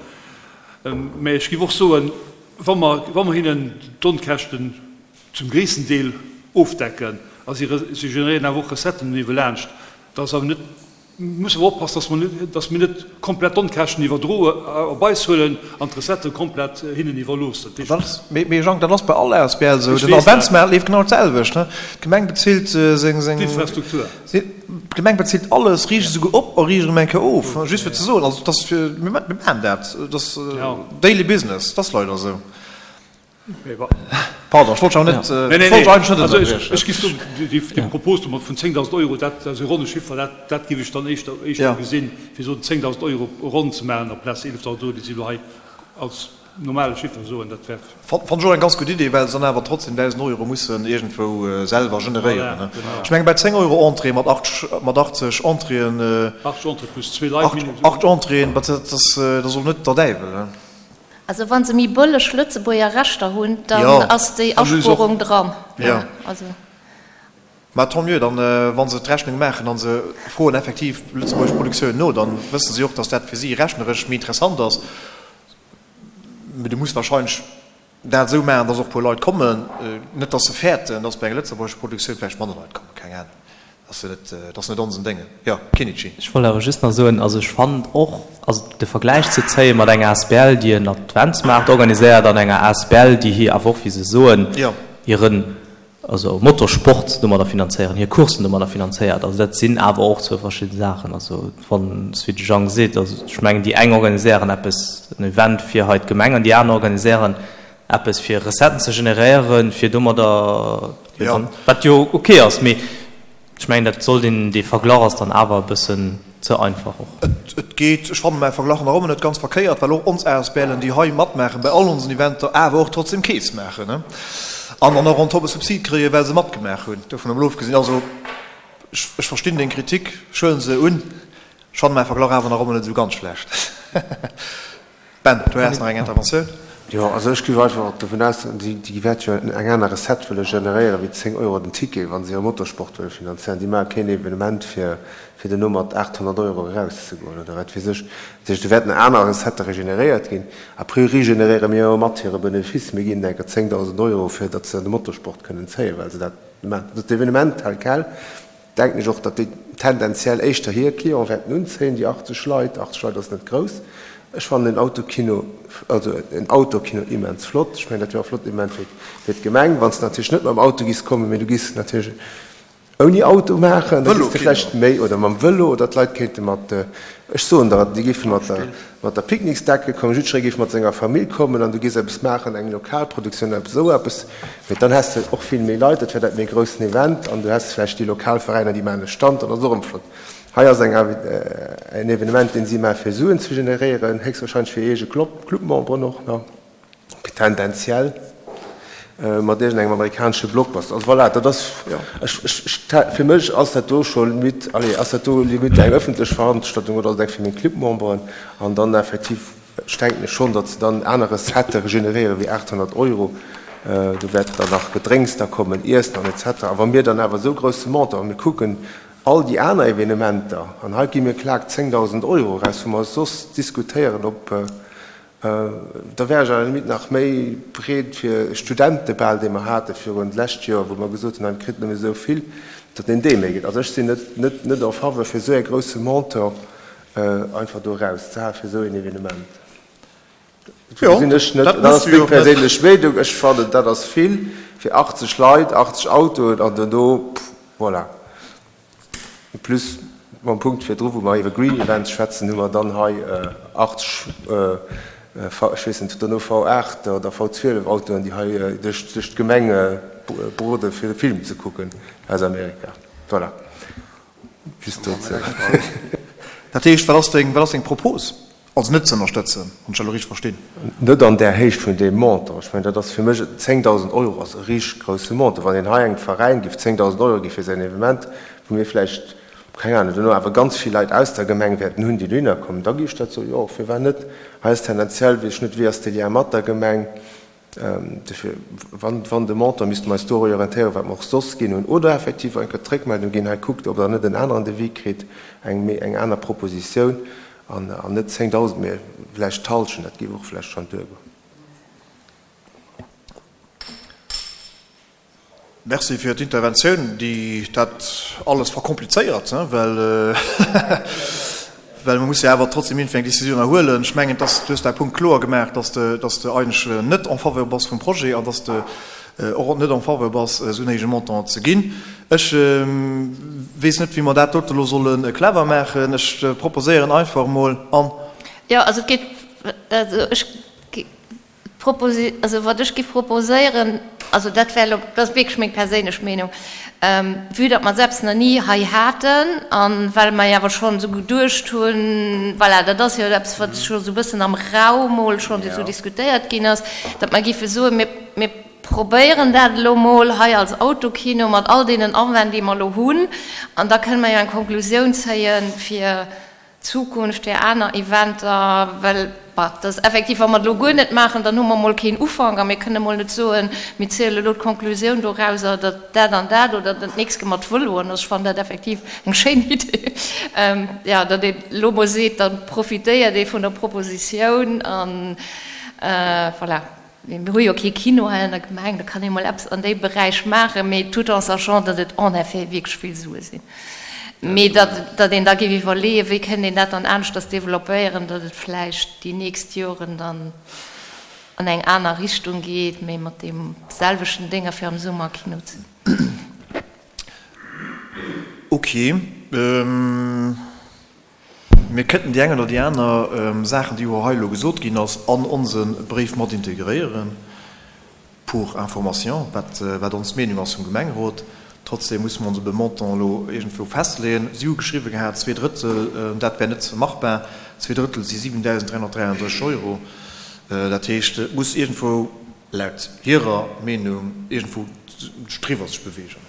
Mä ech géif och soen, wa mer, wa mer hinnen d'Onkäschten zum gréissten Deel ofdecken a si, si generéieren awer och Recetten niewelaanscht, da ass awer net, musse mer oppassen, dass mer net, dass mir net komplett d'Onkäschten iwwerdroe, op eis huelen an d'Recettë komplett hinnen iwwerloossen. Dat heescht. Mee Jang, dat ass bei all Asbl esou. Den Adventsmaart leeft genau d'selwecht. D'Gemeng bezilt seng. D'Infrastruktur. D'Gemeng bezilt alles, riicht esouguer op a riicht erëm eng Kéier of. Just fir ze soen, also dat ass fir, mir maachen dat, dat ass daily business, dat ass leider esou. Pardon, ech wollt dech awer net, ech wollt dech eigentlech net ënnerbriechen. Ech géif soen, déi Propos do mat vun 10.000 Euro, dat ass e ronne Chiffer, dat, dat géif ech dann éischter, éischter gesinn, fir soen 10.000 Euro ronn ze maachen amplaz 11.000 Euro, déi si elo hei als normale Chiffer soen, dat wär. Fannen ech och eng ganz gutt Idee, well se dann awer trotzdem 1.000 Euro mussen iergendwou selwer generéieren. Ech mengen bei 10 Euro Entrée mat 80 Entréeën, 80 Entrée plus zwee Leit minimum. 8 Entréeën, dat ass och net der Däiwel. Also wa se méi bëlleg Lëtzebuerger Rechter hunn, dann ass déi Aspuerung dran. Mä tant mieux, dann, wa se d'Rechnung maachen a se froen effektiv lëtzebuergesch Produktiounen no, dann wësse si och, datt dat fir si rechneresch méi interessant ass. Mee du muss wahrscheinlech dat esou maachen, dass och e puer Leit kommen. Net, dass se fäerten, dass bei enger lëtzebuergescher Produktioun vläicht manner Leit kommen. Keng Ahnung. Dat ass jo net, dat ass net onsen Déngen. Jo, Kinnichi. Ech wollt awer just nach soen, also ech fannen och, also de Vergläich ze zéie mat enger asbl, déi en Adventsmaart organiséiert, an enger asbl, déi hir, awer och wéi se soen, hiren also Motorsport domadder finanzéieren, hir Courssen domadder finanzéiert. Also dat sinn awer och zwou verschidde Saachen. Also wann, wéi de Jang seet, also ech mengen déi eng organiséieren eppes, en Event fir hei d'Gemeng an déi aner organiséieren eppes fir Recetten ze generéieren, fir domadder, wat jo ok ass, mee Ech mengen, dat sollt een, dee Verglach ass dann awer e bëssen ze einfach och. Et geet, ech fanne mäi Verglach nach ëmmer net ganz verkéiert, well och ons ASBLen, déi hei matmaachen bei all onsen Eventer, awer och trotzdem Keess maachen an dann och on top e Subsid kréien, well se matgemaach hunn. Dovun emol ofgesinn, also ech verstinn deng Kritik, ech huele se un, ech fanne mäi Verglach awer nach ëmmer net esou ganz schlecht. Ben, du häss nach eng Interventioun? Jo, also ech géif einfach dovun ausgoen, déi, déi wäerte jo eng aner Recette wëlle generéieren wéi 10 Euro den Ticket, wa se hire Motorsport wëlle finanzéieren. Déi maache keen Evenement, fir, fir duerno mat 800 Euro erauszegoen oder wat weess ech. Dat heescht, do wäerten aner Recettë regeneréiert ginn. A priori generéiere mir jo mat hire Benefice. Mir ginn enker 10.000 Euro, fir datt se an de Motorsport kënnen zéien, well se dat maachen. Dat Evenement tel quel denken ech och, datt déi tendenziell éischter hir Clienten wäerten unzéien, déi 80 Leit. 80 Leit ass net grouss. Ech fannen en Autokino, also en Outdoorkino immens flott. Ech mengen, dat wär och flott Evenement fir, fir d'Gemeng. Wann s de natierlech net mam Auto giss kommen, mee du giss natierlech ouni Auto maachen, da giss de vläicht méi, oder mam Vëlo, oder d'Leit kéinte mat, ech soen der, déi géife mat der, mat der Picknicksdecke kommen, jiddweree géif mat senger Famill kommen an du géifs eppes maachen, eng Lokalproduktioun oder eppes esou eppes, mee dann häss de och vill méi Leit, dat wär dat méi groussen Event an du häss vläicht déi lokal Veräiner, déi maachen e Stand, dat ass och erëm flott. Hei ass eng en Evenement, deen si maache fir Suen ze generéieren, héchstwahrscheinlech fir eege Clubmemberen och nach, tendenziell. Mat iergendengem amerikanesche Blockbuster. Also voilà, dat ass, ech, ech, ech, fir mech ass dat do scho limite, allez, ass dat do limite eng ëffentlech Veranstaltung oder ass et eng fir meng Clubmemberen? An dann effektiv, ech denken schonn, datt se dann aner Recettë generéiere wéi 800 Euro. Do wäert dann nach Gedrénks da kommen, Iessen an et cetera. A wa mir dann awer esou grousse Montant, a mir kucken all déi aner Evenementer, an hei gi mir klak 10.000 Euro eraus, wou mer soss diskutéieren, ob, Da wär ech à la limite nach méi breet fir e Studentebal, dee mer hate virun d'lescht Joer, wou mer gesot hunn, hei kritt nëmme esou vill, datt een dee méi gëtt. Also ech sinn net, net, net en faveur fir esou e grousse Montant einfach do erauszehale fir esou een Evenement. Dofir gesinn ech net, dat ass meng perséinlech Meenung, ech fannen dat ass vill fir 80 Leit, 80 Autoen an duerno, voilà. En plus, mam Punkt virdru wou mer iwwer Green Events schwätzen, hu mer dann hei 80, ech weess net, duerno V8 oder V12 Autoen, déi hei duerch d'Gemeng brode fir e Film ze kucken aus Amerika. Voilà, just dozou. Dat heescht, wat ass deng, wat ass deng Propos? Also net ze ënnerstëtzen, wann ech dat elo richteg verstinn. Net an där Héicht vun deem Montant. Ech mengen, dat ass fir mech, 10.000 Euro ass e richteg grousse Montant. Wann een hei engem Veräin géif 10.000 Euro gi fir säin Evenement, wou mir vläicht, keng Ahnung, duerno awer ganz vill Leit aus der Gemeng wäerten hunn, déi dohinner kommen, da géif ech dat soen, jo, firwat net? Hei ass tendenziell, weess ech net, wéi ass de Lien mat der Gemeng? Dofir, wann de Montant, misste mer eis do orientéieren, wat mer och soss ginn hunn, oder effektiv eng Kéier d'Réckmeldung ginn, hei kuckt, ob Der net en aneren Devis kritt, eng méi, eng aner Propositioun, an net 10.000, mä vläicht d'Hallschent, dat géif och vläicht schonn duergoen. Merci fir d'Interventioun, déi dat alles verkomplizéiert, well well mer musse jo awer trotzdem iergendwéi eng Décisioun erhuelen. Ech mengen, dass du hues däi Punkt kloer gemaach, dass de, dass de eigentlech net en faveur bass vum Projet an dass de och net en faveur bass, esou en héije Montant ze ginn. Ech weess net, wéi mer dat dote elo solle clever maachen. Ech proposéieren einfach emol an. Jo, also et geet, also ech. D'Proposi, also wat ech giff proposéieren, also dat wär elo, dat ass wierklech meng perséinlech Meenung, vue datt mer s'eppes nach ni hei haten a well mer jo awer schonn esou geduecht hunn, voilà, dat ass jo eppes wat scho esou e bëssen am Raum mol schonn esou diskutéiert ginn ass, datt mer giffe soen, mir, mir probéieren dat elo mol hei als Autokino mat all deenen Awänn déi mer elo hunn an da kënne mer jo eng Konklusioun zéien fir Zukunft fir aner Eventer, well bah, dat ass effektiv, wa mer et elo guer net maachen, dann hu mer emol keen Ufank a mir kënnen emol net soen, mir ziele elo d'Konklusioun dorauser, datt dat an dat oder dat nächst ge mat Vëloen ass. Ech fannen dat effektiv eng schéin Idee, jo, datt een elo emol seet, da profitéiert ee vun der Propositioun an voilà. Mir hu jo kee Kino hei an der Gemeng, da kann ee mol eppes an deem Beräich maachen, mee tout en sachant, datt et en effet wierklech vill Sue sinn. Mee datt, datt een da géif iwwerleeën, wéi kënnt een dat dann aneschters developpéieren, datt et vläicht déi nächst Joren dann an eng aner Richtung geet, mee mat deem selwechten Dénger fir am Summer Kino ze. Ok. Mir kënnten déi eng oder déi aner Saachen, déi jo hei elo gesot ginn ass, an onse Bréif mat integréieren, pour information, wat, wat ons Meenung ass vum Gemengerot. Trotzdem musse mer ons op e Montant elo iergendwou festleeën. Si hu geschriwwen gehat, zweedrëttel, dat wär net machbar. Zweedrëttel si 7.333 Euro. Dat heescht, et muss iergendwou, laut hirer Meenung, iergendwou driwwer sech bewegen.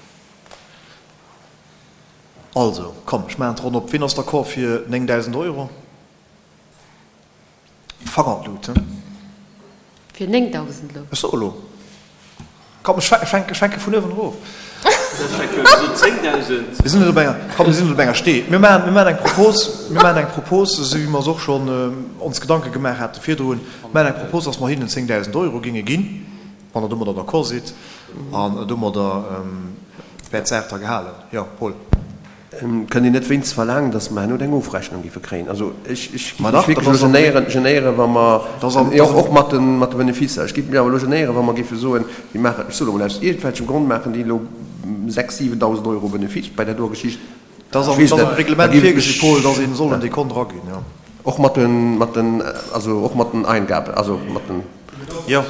Also, komm, ech maachen d'Ronn op. Wien ass d'accord fir 9.000 Euro? Fanger an d'Lut, he? Fir 9.000 elo? Ech soe lo. Komm, ech fänke, ech fänke vun uewen erof. Mir sinn elo bei enger, komm, mir sinn elo bei enger Stee. Mir maachen, mir maachen eng Propos, mir maachen eng Propos, esou wéi mer se och schonn ons Gedanke gemaach hate virdrun. Mir maachen eng Propos, dass mer hinnen 10.000 Euro géinge ginn. Wann Der domadder d'accord sidd, an domadder wär d'Saach da gehalen. Jo, Paul. Kënnt Dir net wéinst verlaangen, datt mer herno eng Ofrechnung géife kréien? Also ech géif mech wierklech elo genéieren, genéieren, wa mer, jo och mat de mat de Beneficer, ech géif mech awer elo genéieren, wa mer géife soen, déi maachen, ech soe elo mol, aus iergendwelchem Grond maachen déi elo 6.000, 7.000 Euro Benefice bei där doer Geschicht. Dat ass am Reglement virgesi, Paul, datt ee soll en Dekont eraginn, jo. Och mat den, mat den, also och mat den Eingaben, also mat den. Jo.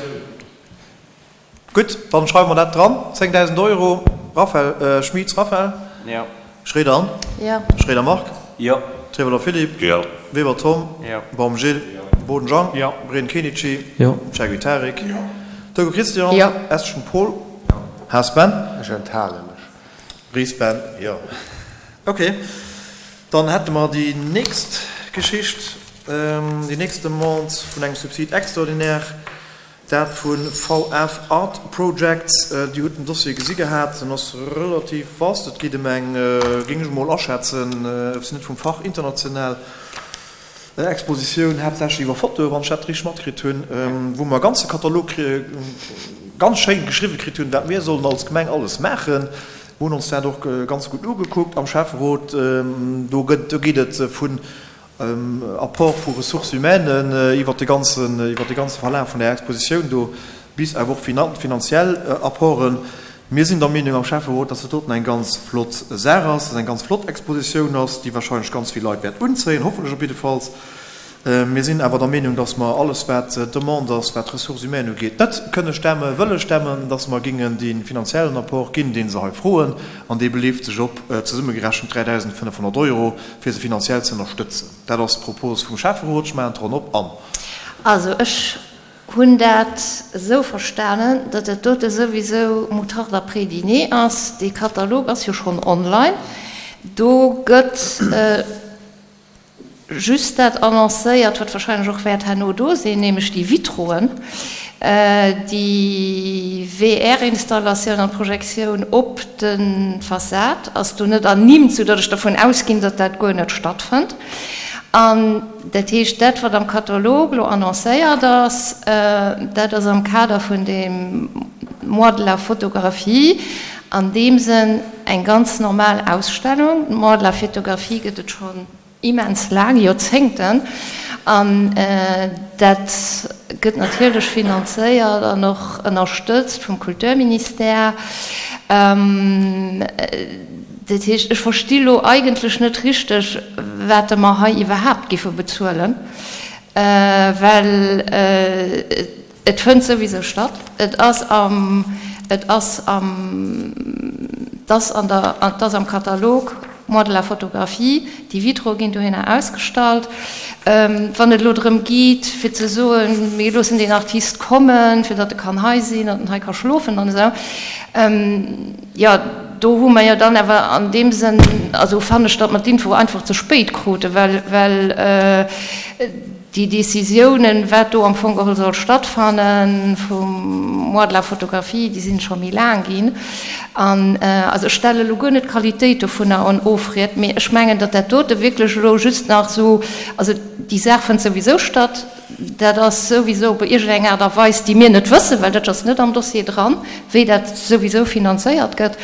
Gutt, dann schreiwe mer dat dran, 10.000 Euro. Raphaël, Schmitz Raphaël? Jo. Schroeder Anne? Jo. Schroeder Marc? Jo. Trewelder Philippe? Jo. Weber Tom? Jo. Baum Gilles? Jo. Boden Jean? Jo. Breen Kenichi? Jo. Cheguy Tarik? Jo. Togo Christian. Jo. Estgen Paul. Haas Ben. Ech enthale mech. Ries Ben, Jo. Ok, dann hätte mer déi nächst Geschicht, déi nächst Demande vun engem Subside extraordinaire, dat vu VF Art Projects. Dir hutt den Dossier gesi gehat, en ass relativ vast. Et geet ëm eng, géing ech emol aschätzen, ech sinn net vum Fach, international Expositioun, haaptsächlech iwwer Fotoen, wann ech dat richteg matkritt hunn, wou mer e ganze Katalog ganz schéin geschriwwe kritt hunn, wat mir sollen als Gemeng alles maachen. Mir hunn ons dat och ganz gutt ugekuckt am Schäfferot. Do gëtt, do geet et vun Apport vu Ressources humaines iwwert de ganzen, iwwert de ganze Verlaf vun där Expositioun do bis awer och finanziell Apporten. Mir sinn der Meenung am Schäfferot, dass dat doten eng ganz flott Saach ass, dass eng ganz flott Expositioun ass, déi wahrscheinlech ganz vill Leit wäert unzéien, hoffentlech op jiddefalls. Mir sinn awer der Meenung, dass mer alles, wat d'Demande ass, wat d'Ressources humaines ugeet, net kënne stemmen, wëlle stemmen, dass mer gingen dee finanziellen Apport ginn, dee se hei froen, an dee beleeft sech op zesummegerechent 3.500 Euro, fir se finanziell ze ënnerstëtzen. Dat ass d'Propos vum Schäfferot. Ech maachen d'Ronn op an. Also ech hunn dat esou verstanen, datt dat dote souwisou Moutarde après dîner ass. Dee Katalog ass jo schonn online. Do gëtt just dat annoncéiert, wat wahrscheinlech och wäert herno do sinn, nämlech déi Vitroen, déi VR-Installatioun an d'Projektioun op de Fassad ass do net ernimmt, soudatt ech dervun ausginn, datt dat guer net stattfënnt. An dat heescht, dat, wat am Katalog elo annoncéiert ass, dat ass am Kader vun deem Mois de la photographie an deem Sënn eng ganz normal Ausstellung. De Mois de la photographie gëtt et schonn immens laang, Joerzéngten, an dat gëtt natierlech finanzéiert an och ënnerstëtzt vum Kulturministère. Dat heescht, ech versti lo eigentlech net richteg, wat mer hei iwwerhaapt giffe bezuelen, well et fënnt souwisou statt. Et ass am, et ass am, et ass an der, et ass am Katalog Mois de la photographie, déi Vitroe ginn dohinner ausgestallt. Wann et elo drëm geet, fir ze soen, mir loossen deen Artist kommen, fir datt e kann hei sinn, datt en hei ka schlofen an esou, Jo, do hu mer jo dann awer an deem Sënn, also fannen ech, datt mer d'Info einfach ze spéit kruten, well, well déi Décisiounen, wat do am Fong geholl soll stattfannen, vum Mois de la photographie, déi sinn scho méi laang ginn. An also ech stelle elo guer net d'Qualitéit dovunner en Ofried, mee ech mengen, datt dat dote wierklech elo just nach esou, also déi Saach fënnt souwisou statt, Dat ass souwisou op iergendeng Aart a Weis, déi mir net wëssen, well dat ass net am Dossier dran, wéi dat souwisou finanzéiert gëtt.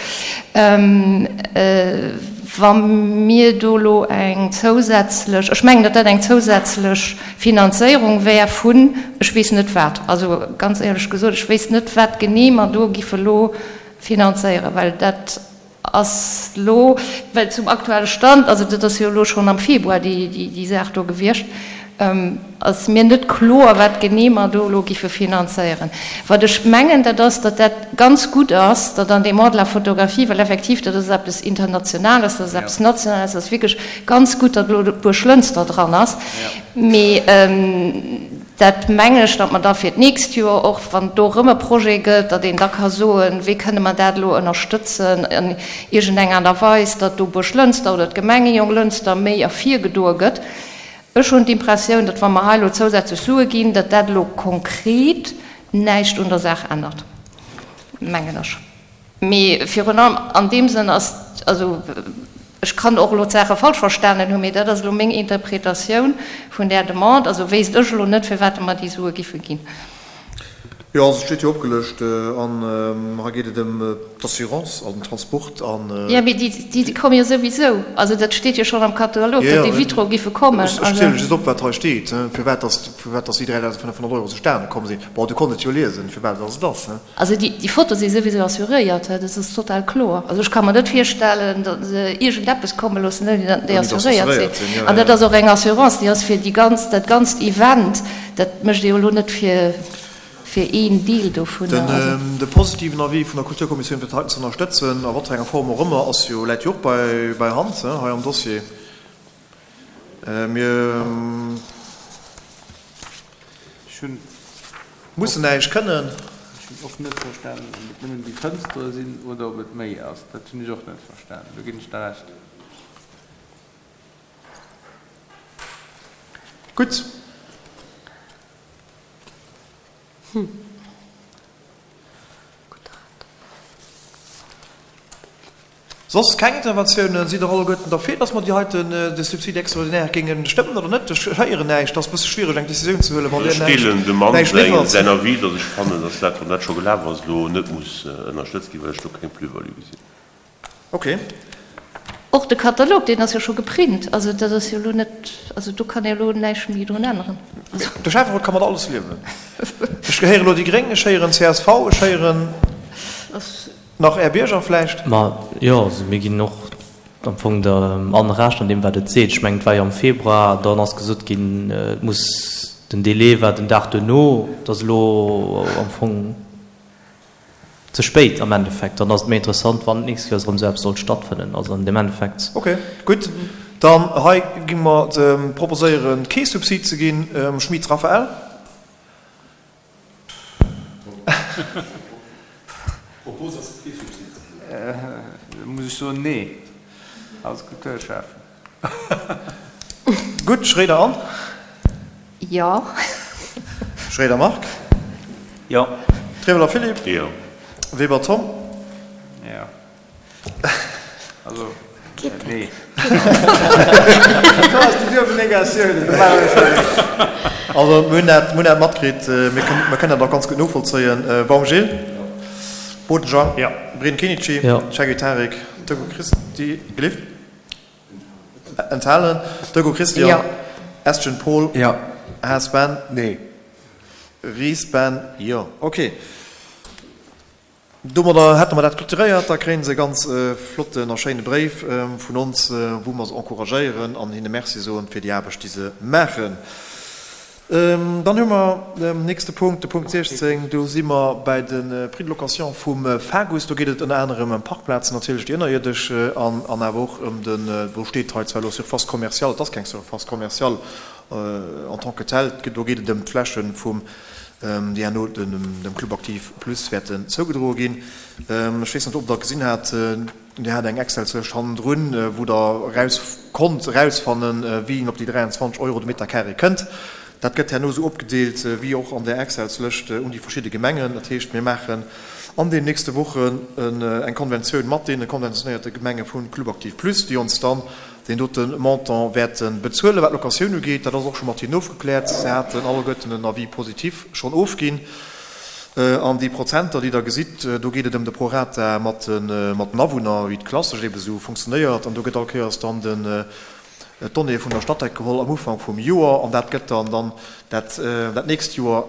Wa mir do elo eng zousätzlech, ech mengen, datt dat eng zousätzlech Finanzéierung wär vun ech weess net wat, also ganz éierlech gesot, ech wéisst net, wat genee mer do giffe elo finanzéieren, well dat Ass lo, well zum aktuelle Stand, also dat ass jo elo schonn am Februar déi Saach do gewiescht, ass mir net kloer, wat genee mer do elo giffe finanzéieren. Wat ech mengen, dat ass, datt dat ganz gutt ass, datt an deem Mois de la photographie, well effektiv dat ass eppes Internationales, dat ass eppes Nationales, dat ass wierklech ganz gutt, datt elo Buerglënster dran ass. Mee Dat mengen ech, datt mer da fir d'nächst Joer och, wann et do erëm e Projet gëtt, datt een da ka soen, wéi kënne mer dat elo ënnerstëtzen an iergendeng Aart a Weis, datt do Buerglënster oder d'Gemeng Jonglënster méi ervirgedoe gëtt. Ech hunn d'Impressioun, datt wa mer hei elo zousätzlech Sue ginn, datt dat elo konkret näischt un der Saach ännert, mengen ech. Mee virun allem an deem Sënn ass, also ech kann och elo d'Saache falsch verstanen hunn, mee dat ass elo meng Interpretatioun vun där Demande, also wéisst ech elo net, firwat mer déi Sue giffe ginn. Jo, also et steet jo opgelëscht an hei geet et ëm d'Assurance an den Transport an. Jo, mee déi komme jo souwisou. Also dat steet jo schonn am Katalog, datt déi Vitroe giffe kommen. Ech zielen just op, wat hei steet, firwat datt déi 3.500 Euro zustane komm sinn. Bon, du konnt et jo liesen, firwat datt et ass. Also déi Foto si souwisou assuréiert, dat ass total kloer. Also ech ka mer net virstellen, datt se iergendeppes komme loossen, ouni datt déi assuréiert sinn. An dat ass och eng Assurance, déi ass fir déi ganz, dat ganzt Event. Dat mécht ee jo elo net fir, fir een Deel dovunner. De positiven Avis vun der Kulturkommissioun fir dat heiten ze ënnerstëtzen, a wat fir enger Form och ëmmer, ass jo, läit jo och bei Hand hei am Dossier. Mir mussen näischt kënnen. Hunn och net verstanen, ob et nëmmen déi Fënstere sinn oder ob et méi ass. Dat hunn ech och net verstanen. Do ginn ech der Recht. Gutt. Soss keng Interventiounen? Sidd Der alleguerten derfir, dass mer déi heiten, de Subside extraordinaire géinge stëmmen oder net? Ech héieren näischt. Et ass e bësse schwiereg, eng Décisioun ze huelen, wann Dir Ech deelen dem näischt Mann liwwert. säin Avis, dass ech fannen, dass dat, wann dat scho gelaf ass, elo net muss ënnerstëtzt ginn, well ech do keng Plus-value gesinn. Ok. Och de Katalog, deen ass jo scho geprint. Also dat ass jo elo net, also do kann ee elo näischt méi drun änneren. De Schäfferot ka mat alles liewen. Ech héieren elo déi Gréng, ech héieren csv, ech héieren nach Är Bierger vläicht. Ma jo, also mir ginn och am Fong der Anne Recht an deem, wat et seet. Ech mengen, et war jo am Februar, dann ass gesot ginn, et muss, den Délai war den Dag duerno, et ass elo am Fong ze spéit am Endeffekt. Dann ass et méi interessant, wann d'nächst Kéiers erëm esou eppes sollt stattfënnen. Also an dem Endeffekt. Ok, gutt. Dann hei gi mer proposéieren, kee Subsid ze ginn. Schmit Raphaël. Propos ass kee Subsid ze ginn. Da muss ech soen, nee, als Kulturschäffen. Gutt, Schroeder Anne. Jo. Schroeder Marc. Jo. Trewelder Philippe. Jo. Weber Tom. Jo. Also, nee. Do ass déi duebel Negatioun. Also, mir hunn dat, mir hunn dat matkritt. Mir kënnen, mir kënnen dat och ganz gutt novollzéien. Baum Gilles. Boden Jean. Jo. Breen Kenichi. Jo. Shaggy Tarik. Dögo Christi. Gelift? Enthalen. Dögo Christian. Jo. Estgen Paul. Jo. Haas Ben. Nee. Ries Ben. Jo. Ok. Domadder hätte mer dat clôturéiert. Da kréien se e ganz flotten a schéine Bréif vun ons, wou mer se encouragéieren an hinne Merci soen fir déi Aarbecht, déi se maachen. Dann hu mer den nächste Punkt, de Punkt 16. Do si mer bäi de Prix de location vum FAGUS. Do geet et ënner anerem ëm Parkplazen natierlech, déi ënnerierdesch, an awer och ëm de, wou steet hei zwar elo Surface commerciale, et ass keng Surface commerciale en tant que telle, do geet et ëm d'Fläche vum, déi herno dem Club Aktiv Plus wäerten zougedroe ginn. Ech weess net, ob Der gesinn hat, Dir hat eng Excelslëscht hannendrun, wou Der eraus konnt erausfannen, wéi een op déi 23 Euro de Meter carré kënnt. Dat gëtt herno esou opgedeelt, wéi och an där Excelslëscht, un déi verschidde Gemengen. Dat heescht, mir maachen an den nächste Wochen eng Konventioun mat deene konventionéierte Gemenge vu Club Aktiv Plus, déi ons dann deen dote Montant wäerte bezuelen. Wat d'Locatioun ugeet, dat ass och scho mat hinnen ofgekläert. Se haten alleguerten en Avis positif schonn ofginn. An déi Prozenter, déi Der gesitt, do geet et ëm de Prorata mat den Awunner, wéi et klassesch eebe sou funktionéiert. An do gëtt all Kéiers dann den d'Donnéeë vun der Statec geholl am Ufank vum Joer an dat gëtt dann dann dat dat nächst Joer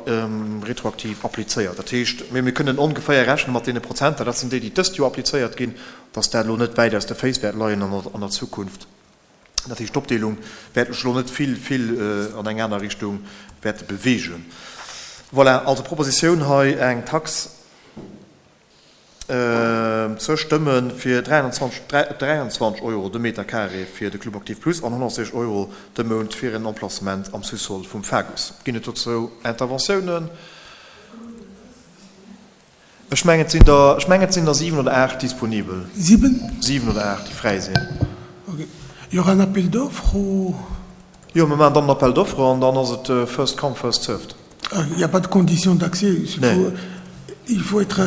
retroaktiv applizéiert. Dat heescht, mee mir kënnen ongeféier rechne mat deene Prozenter, dat sinn déi, déi dëst Joer applizéiert ginn, dass dat elo net wäit aus de Féiss wäert leien an der Zukunft. Dat heescht, d'Opdeelung wäert sech elo net vill, vill an eng aner Richtung wäerte beweegen. Voilà, also Propositioun hei eng Tax ze stëmme fir 23 Euro de Meter carré fir de Club Aktiv Plus an 160 Euro de Mount fir en Emplacement am Sous-sol vum FAGUS. Ginn et dozou Interventiounen? Ech mengen, et sinn der, ech mengen, et sinn der 7 oder 8 disponibel. 7? 7 oder 8, déi fräi sinn. Ok. Il y aura un appel d'offres ou? Jo, mir maachen dann en Appel d'offres an dann ass et first come, first served. Ah, il n'y a pas de condition d'accès? Nee. Il faut être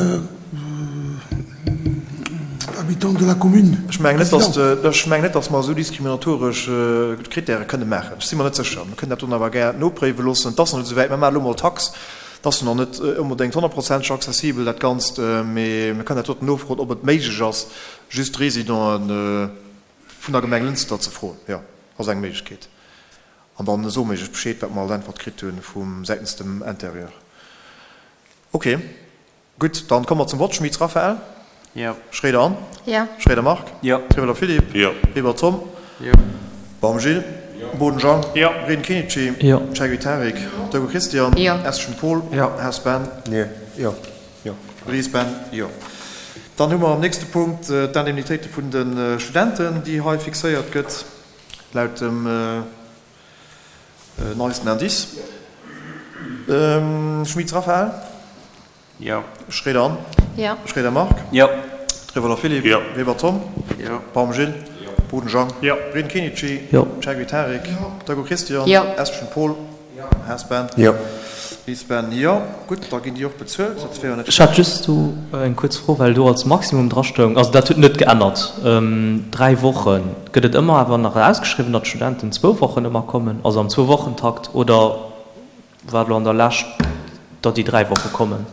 habitant de la commune? Ech mengen net, dass de, ech mengen net, dass mer esou diskriminatoresch Kritäre kënne maachen. Ech si mer net sécher. Mir kënnen dat dann awer gär nopréiwe loossen. Et ass nach net esou wäit. Mir maachen elo mol d'Tax. Et ass nach net onbedéngt honnertprozenteg accessibel, dat Ganzt, mee mir kënnen dat doten nofroen, ob et méiglech ass, just d'Residenten vun der Gemeng Lënster ze froen. Jo, ass eng Méiglechkeet. An dann soe mir Iech Bescheed, wat mer als Äntwert kritt hu vum säitens dem Interieur. Ok. Gutt, dann komme mer zum Vott. Schmitz Raphaël. Jo. Schroeder Anne. Jo. Schroeder Marc. Jo. Trewelder Philippe. Jo. Weber Tom. Jo. Baum Gilles. Jo. Boden Jean. Jo. Breen Kenichi. Jo. Cheguy Tarik. Dögo Christian. Jo. Eschen Paul. Jo. Haas Ben. Nee. Jo. Jo. Ries Ben. Jo. Dann hu mer am nächste Punkt d'Indemnitéite vun de Studenten, déi hei fixéiert gëtt laut dem neisten Indice. Schmitz Raphaël. Jo. Schroeder Anne. Jo. Schroeder Marc. Jo. Trewelder Philippe. Jo. Weber Tom. Jo. Baum Gilles. Jo. Boden Jean. Jo. Breden Kenichi. Jo. Chergui Tarik. Jo. Dagoo Christian. Jo. Estgen Paul. Jo. Haas Ben. Jo. Ries Ben. Jo. Gutt, da ginn déi och bezuelt. Dat wär jo net Ech hat just do eng kuerz Fro, well do als Maximum drastoung, also dat huet net geännert, 3 Wochen. Gëtt et ëmmer awer nach ausgeschriwwen, datt d'Studenten zwou Wochen ëmmer kommen, also am Zwou-Wochen-Takt, oder war elo an der Lescht, datt déi 3 Woche kommen?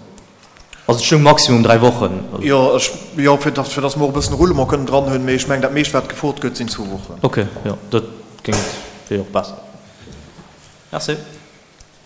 Also et stoung Maximum 3 Wochen. Jo, ech, jo, fir datt, fir datt mer och e bëssen Roulement kënnen dran hunn, mee ech mengen, dat meescht wat gefrot gëtt, sinn zwou Wochen. Ok, jo, dat géing, wier jo och besser. Merci.